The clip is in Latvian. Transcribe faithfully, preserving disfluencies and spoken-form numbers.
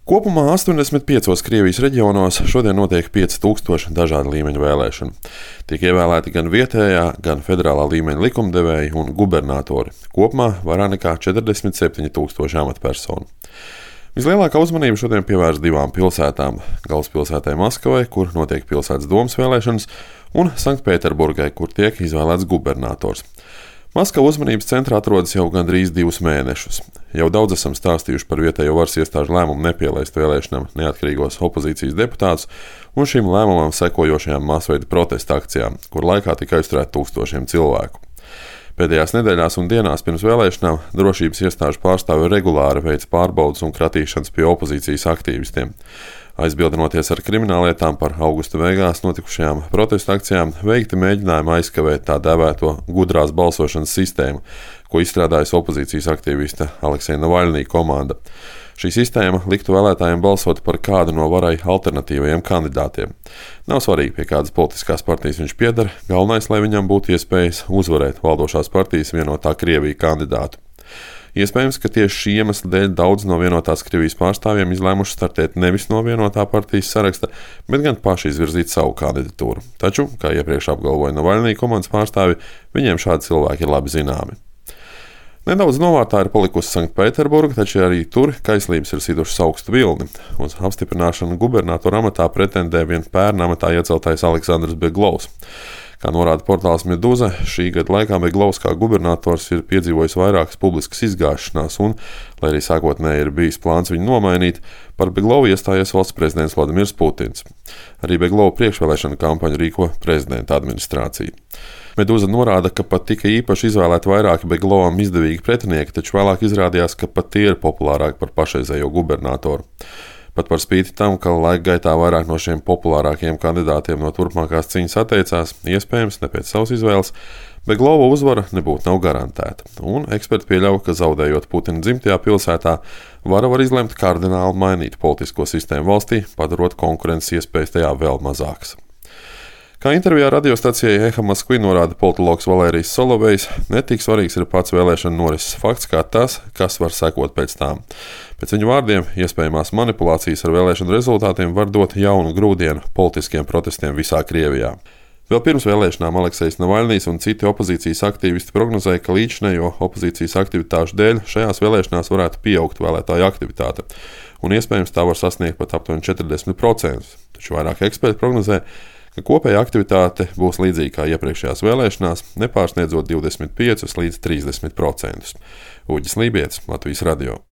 Kopumā astoņdesmit piecos Krievijas reģionos šodien notiek pieci tūkstoši dažādu līmeņu vēlēšanu. Tiek ievēlēti gan vietējā, gan federālā līmeņa likumdevēji un gubernatori. Kopumā vairāk nekā četrdesmit septiņi tūkstoši amatpersonu. Vislielākā uzmanība šodien pievērsta divām pilsētām - galvaspilsētai Maskavai, kur notiek pilsētas domas vēlēšanas, un Sanktpēterburgai, kur tiek izvēlēts gubernators. Maskava uzmanības centrā atrodas jau gandrīz divus mēnešus. Jau daudz esam stāstījuši par vietējo varas iestāžu lēmumu nepielaist vēlēšanām neatkarīgos opozīcijas deputātus un šim lēmumam sekojošajām masveida protesta akcijām, kur laikā tika aizturēti tūkstošiem cilvēku. Pēdējās nedēļās un dienās pirms vēlēšanām drošības iestāžu pārstāvji regulāri veic pārbaudes un kratīšanas pie opozīcijas aktīvistiem. Aizbildinoties ar krimināllietām par augusta beigās notikušajām protesta akcijām, veikti mēģinājumi aizkavēt tā dēvēto gudrās balsošanas sistēmu, ko izstrādājusi opozīcijas aktīviste Aleksija Navaļnija komanda. Šī sistēma liktu vēlētājiem balsot par kādu no varai alternatīvajiem kandidātiem. Nav svarīgi, pie kādas politiskās partijas viņš pieder, galvenais, lai viņam būtu iespējas uzvarēt valdošās partijas vienotā Krievija kandidātu. Iespējams, ka tieši šī iemesla dēļ daudz no vienotās Krievijas pārstāvjiem izlēmuši startēt nevis no vienotā partijas saraksta, bet gan paši izvirzīt savu kandidatūru. Taču, kā iepriekš apgalvoja Navaļnija komandas pārstāvji, viņiem šādi cilvēki ir labi zināmi. Nedaudz novārtā ir palikusi Sanktpēterburga, taču arī tur kaislības ir situšas augstu vilni. Uz apstiprināšanu gubernatora amatā pretendē vien pērn amatā ieceltais Aleksandrs Beglovs. Kā norāda portāls Meduza, šī gada laikā Beglovs kā gubernators ir piedzīvojis vairākas publiskas izgāšanās un, lai arī sākotnēji ir bijis plāns viņu nomainīt, par Beglovu iestājies valsts prezidents Vladimirs Putins. Arī Beglova priekšvēlēšana kampaņu rīko prezidenta administrācija. Meduza norāda, ka pat tika īpaši izvēlēti vairāki Beglovam izdevīgi pretinieki, taču vēlāk izrādījās, ka pat tie ir populārāki par pašreizējo gubernatoru. Pat par spīti tam, ka laika gaitā vairāk no šiem populārākajiem kandidātiem no turpmākās cīņas atteicās, iespējams, ne pēc savas izvēles, Beglova uzvara nebūtu nav garantēta, un eksperti pieļauj, ka zaudējot Putina dzimtajā pilsētā, vara var izlemt kardināli mainīt politisko sistēmu valstī, padarot konkurences iespējas tajā vēl mazākas. Kā intervijā radiostacijai Eha Moskvi norāda politologs Valērijas Solovejs, ne tik svarīgs ir pats vēlēšanu norises fakts kā tas, kas var sekot pēc tām. Pēc viņu vārdiem, iespējamās manipulācijas ar vēlēšanu rezultātiem var dot jaunu grūdienu politiskiem protestiem visā Krievijā. Vēl pirms vēlēšanām Aleksejs Navaļnijs un citi opozīcijas aktīvisti prognozēja, ka līdzinējo opozīcijas aktivitāšu dēļ šajās vēlēšanās varētu pieaugt vēlētāju aktivitāte, un iespējams tā var sasniegt pat aptuveni četrdesmit procentus. Taču vairāk eksperti prognozē, ka kopēja aktivitāte būs līdzīga kā iepriekšējās vēlēšanās, nepārsniedzot divdesmit piecus līdz trīsdesmit procentus. Uģis Lībietis, Latvijas radio.